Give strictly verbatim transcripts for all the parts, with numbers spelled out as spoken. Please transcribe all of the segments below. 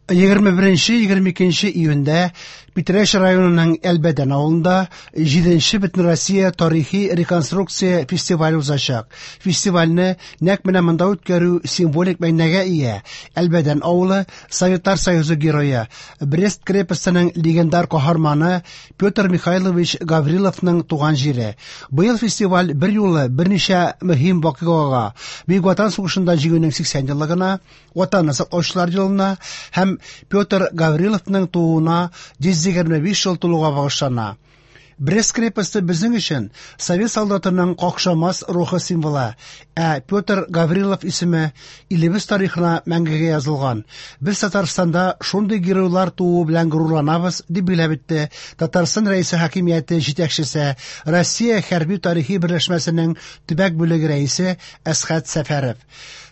Егерме беренче, егерме икенче июньдә Питрәч районының Әлбәдән авылында җиденче Бөтенроссия тарихи реконструкция фестивале узачак. Фестивальне нәкъ менә монда үткәрү символик мәгънәгә ия. Әлбәдән авылы Советлар Союзы герое, Брест крепостының легендар каһарманы Петр Михайлович Гавриловның туган җире. Быел фестиваль бер юлы берничә мөһим вакыйгага, Бөек Ватан сугышында җиңүнең сиксән еллыгына, Ватанны саклаучылар елына һәм Петр Гавриловның тууына йөз егерме биш ел тулуга багышлана. Брест крепосте безнең өчен совет солдатының какшамас рухы символы, ә Петр Гаврилов исеме илебез тарихына мәңгегә язылган. Без Татарстанда шундый геройлар тууы белән горурланабыз, дип билгеләп үтте Татарстан Рәисе хакимияте җитәкчесе, Россия хәрби тарихи берләшмәсенең төбәк бүлеге рәисе Әсхәт Сәфәров.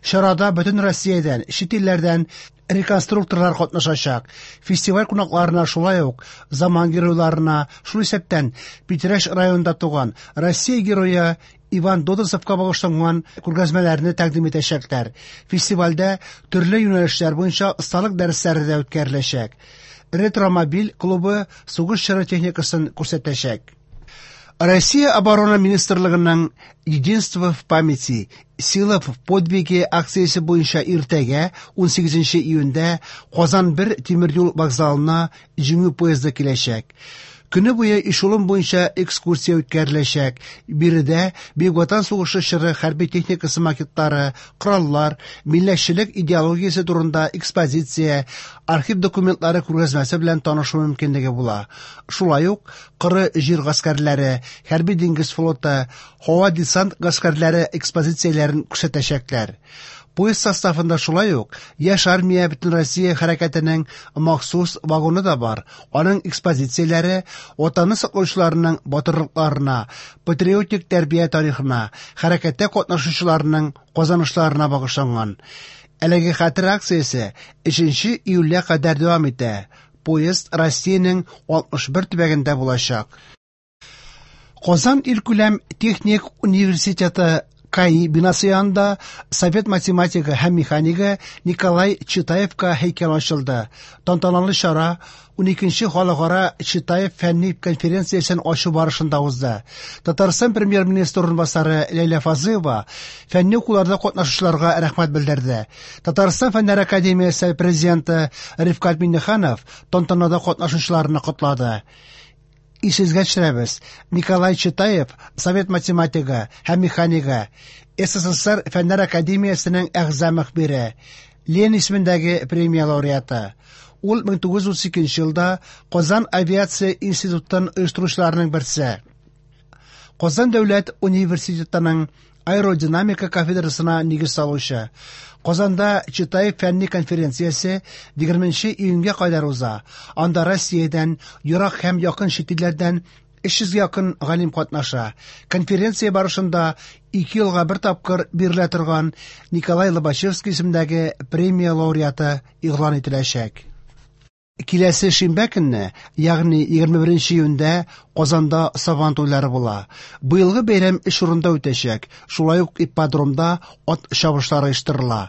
Чарада бөтен Россиядән, чит илләрдән реконструкторлар катнашачак. Фестиваль кунакларына шулай ук заман геройларына, шул исәптән Питрәч районында туган Россия герое Иван Додосовка багышланган күргәзмәләрне тәкъдим итәчәкләр. Фестивальдә төрле юнәлешләр буенча осталык дәресләре дә үткәреләчәк. Ретромобиль клубы сугыш чоры техникасын күрсәтәчәк. Россия Оборона Министрлыгының Единство в памяти, сила в подвиге акциясе буенча иртәгә унсигезенче июньдә Казан бер тимер юл вокзалына Җиңү поезды киләчәк. Көне буе эшелон буенча экскурсия үткәреләчәк. Биредә Бөек Ватан сугышы чоры хәрби техникасы макетлары, кораллар, милләтчелек идеологиясе турында экспозиция, архив документлары күргәзмәсе белән танышу мөмкинлеге була. Шулай ук коры җир гаскәрләре, хәрби диңгез флоты, һава десант гаскәрләре экспозицияләрен күрсәтәчәкләр. Поезд составында шулай ук Яшь армия Бөтенроссия хәрәкәтенең махсус вагоны да бар. Аның экспозицияләре Ватанны саклаучыларның батырлыкларына, патриотик тәрбия тарихына, хәрәкәттә катнашучыларның казанышларына багышланган. Әлеге хәтер акциясе өченче июльгә кадәр дәвам итә. Поезд Россиянең алтмыш бер төбәгендә булачак. Казан илкүләм техник университеты КАИ бинасы янында совет математигы һәм механигы Николай Читаевка һәйкәл ачылды. Тантаналы чара уникенче халыкара Читаев фәнни конференциясен ачу барышында узды. Татарстан премьер-министры урынбасары Ләйлә Фазлыева фәнни укуларда катнашучыларга рәхмәт белдерде. Татарстан Фәннәр академиясе президенты Рифкать Миңнеханов тантанада катнашучыларны котлады. Исегезгә төшерәбез, Николай Читаев совет математигы һәм механигы, СССР Фәннәр академиясенең әгъза мөхбире, Ленин исемендәге премия лауреаты. Ул мең тугыз йөз утыз икенче елда Казан авиация институтын оештыручыларның берсе. Казан дәүләт университетының аэродинамика кафедрасына нигез салучы. Казанда Читаев фәнни конференциясе егерменче июньгә кадәр уза. Анда Россиядән, ерак һәм якын чит илләрдән өч йөзгә якын галим катнаша. Конференция барышында ике елга бер тапкыр бирелә торган Николай Лобачевский исемендәге премия лауреаты игълан ителәчәк. Киләсе шимбә көнне, ягъни егерме беренче июньдә Казанда Сабан туйлары була. Быелгы бәйрәм өч урында үтәчәк. Шулай ук ипподромда ат чабышлары оештырыла.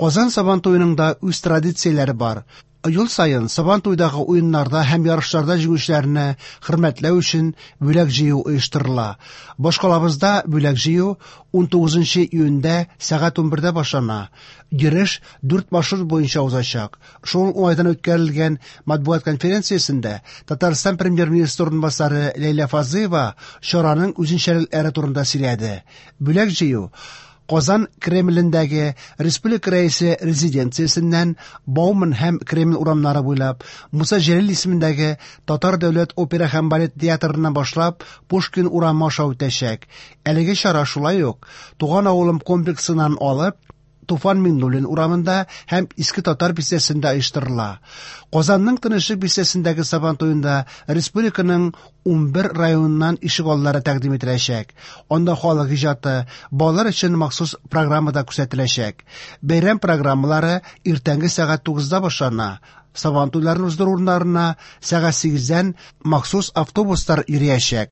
Казан Сабан туеның да үз традицияләре бар. Ел саен Сабан туйдагы уеннарда һәм ярышларда җиңүчеләрне хөрмәтләү өчен бүләк җыю оештырыла. Башкалабызда бүләк җыю унтугызынчы июньдә сәгать унбердә башлана. Йөреш дүрт маршрут буенча узачак. Шул уңайдан үткәрелгән матбугат конференциясендә Татарстан премьер-министры урынбасары Ләйлә Фазлыева чараның үзенчәлекләре турында сөйләде. Бүләк җыю Казан Кремлендәге Республика Рәисе резиденциясеннән Бауман һәм Кремль урамнары буйлап Муса Җәлил исемендәге Татар дәүләт опера һәм балет театрыннан башлап Пушкин урамы аша үтәчәк. Әлеге чара шулай ук Туган авылым комплексыннан алып Туфан Миңнуллин урамында һәм Иске Татар бистәсендә оештырыла. Казанның Тынычлык бистәсендәге Сабан туенда республиканың унбер районыннан ишегаллары тәкъдим ителәчәк. Анда халык иҗаты, балалар өчен махсус программа да күрсәтеләчәк. Бәйрәм программалары иртәнге сәгать тугызда башлана. Сабан туйларын уздыру урыннарына сәгать сигездән махсус автобуслар йөриячәк.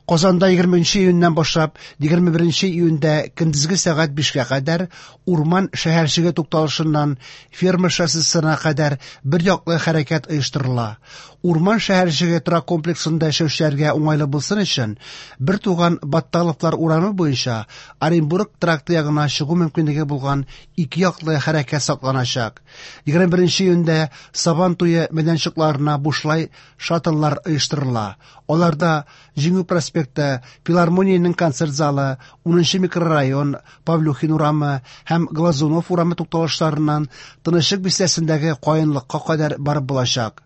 Казанда егерменче июньнән башлап егерме беренче июньдә көндезге сәгать бишкә кадәр Урман шәһәрчеге тукталышыннан Ферма шоссесына кадәр бер яклы хәрәкәт оештырыла. Урман шәһәрчеге торак комплексында яшәүчеләргә уңайлы булсын өчен Бертуган Батталовлар урамы буенча Оренбург тракты ягына чыгу мөмкинлеге булган ике яклы хәрәкәт сакланачак. егерме беренче июньдә Сабан туе мәйданчыкларына бушлай шаттлар оештырыла. Аларда Җиңү проспекты, Филармониянең концерт залы, унынчы микрорайон, Павлюхин урамы һәм Глазунов урамы тукталышларыннан Тынычлык бистәсендәге Каенлыкка кадәр барып булачак.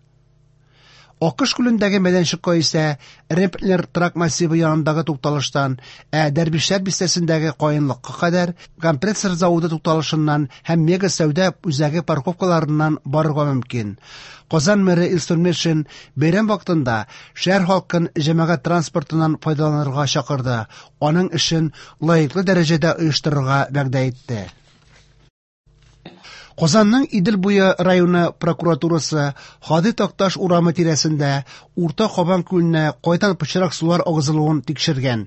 Акыш күлендәге мәйданчыкка исә Ремплер торак массивы янындагы тукталыштан, ә Дәрвишләр бистәсендәге Каенлыкка кадәр компрессор заводы тукталышыннан һәм Мега сәүдә үзәге парковкаларыннан барырга мөмкин. Казан мэры Илсур Метшин бәйрәм вакытында шәһәр халкын җәмәгать транспортыннан файдаланырга чакырды, аның эшен лаеклы дәрәҗәдә оештырырга вәгъдә итте. Казанның Идел буе районы прокуратурасы Һади Такташ урамы тирәсендә Урта Кабан күленә кайдан пычрак сулар агызылуын тикшергән.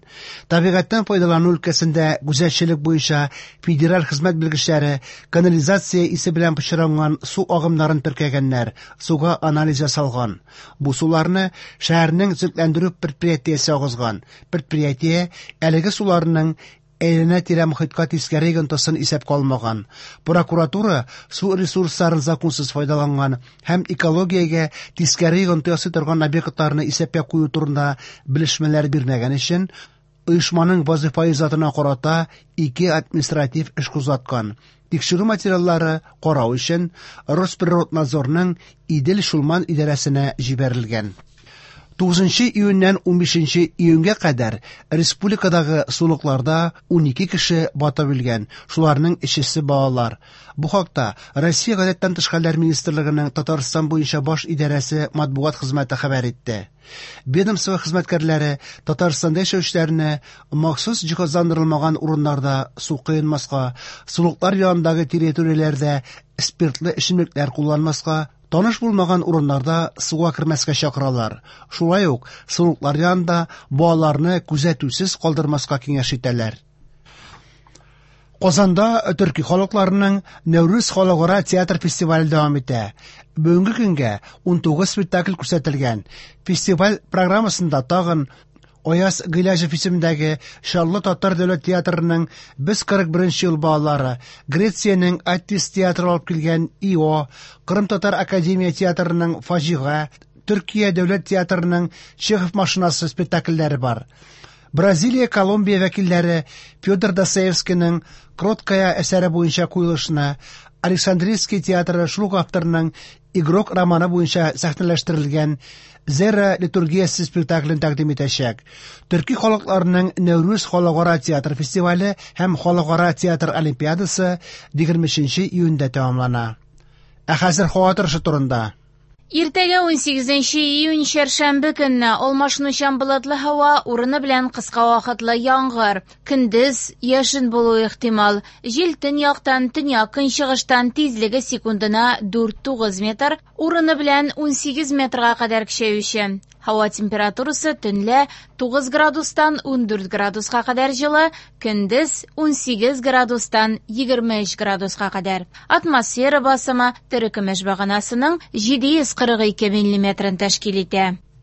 Табигатьтән файдалану өлкәсендә күзәтчелек буенча федераль хезмәт белгечләре канализация исе белән пычранган су агымнарын теркәгәннәр, суга анализ ясалган. Бу суларны шәһәрнең төзекләндерү предприятиесе агызган. Предприятие әлеге суларның әйләнә-тирә мохиткә тискәре йогынтысын исәпкә алмаган. Прокуратура су ресурсларын законсыз файдаланган һәм экологиягә тискәре йогынты ясый торган объектларны исәпкә кую турында белешмәләр бирмәгән өчен оешманың вазифаи затына карата ике административ эш кузгаткан. Тикшерү материаллары карау өчен Росприроднадзорның Идел-Чулман идарәсенә җибәрелгән. Тугызынчы июньнән унбишенче июньгә кадәр республикадагы сулыкларда унике кеше батып үлгән, шуларның өчесе балалар. Бу хакта Россия Гадәттән тыш хәлләр министрлыгының Татарстан буенча баш идарәсе матбугат хезмәте хәбәр итте. Ведомство хезмәткәрләре Татарстанда яшәүчеләрне махсус җиһазландырылмаган урыннарда су коенмаска, сулыклар янындагы территорияләрдә спиртлы эчемлекләр кулланмаска, таныш булмаган урыннарда суга кермәскә чакыралар. Шулай ук сулыклар янында балаларны күзәтүсез калдырмаска киңәш итәләр. Казанда төрки халыкларының Нәүрүз халыкара театр фестивале дәвам итә. Бүгенге көнгә унтугыз спектакль күрсәтелгән. Фестиваль программасында тагын Аяз Гыйләҗев исемендәге Чаллы татар дәүләт театрының Без кырык беренче ел балалары, Грециянең Аттис театры алып килгән Ио, Кырым татар академия театрының Фаҗига, Төркия дәүләт театрының Чехов машинасы спектакльләре бар. Бразилия, Колумбия вәкилләре Федор Достоевскийның Кроткая әсәре буенча куелышына, Александрийский театры шул ук авторның Игрок романы буенча сәхнәләштерелгән Зера литургиясе спектаклен тәкъдим итәчәк. Төрки халыкларының Нәүрүз халыкара театр фестивале һәм халыкара театр олимпиадасы егерме өченче июньдә тәмамлана. Ә хәзер һава торышы турында. Иртәгә унсигезенче июнь чәршәмбе көнне алмашынучан болытлы һава, урыны белән кыска вакытлы яңгыр. Көндез яшен булуы ихтимал. Җил төньяктан, төньяк көнчыгыштан тизлеге секундына дүрт тугыз метр, урыны белән унсигез метрга кадәр көчәюче. Һава температурасы төнлә тугыз градустан ундүрт градуска кадәр җылы, көндез унсигез градустан егерме өч градуска кадәр. Атмосфера басымы терекөмеш баганасының җиде йөз кырык ике миллиметрын тәшкил итә.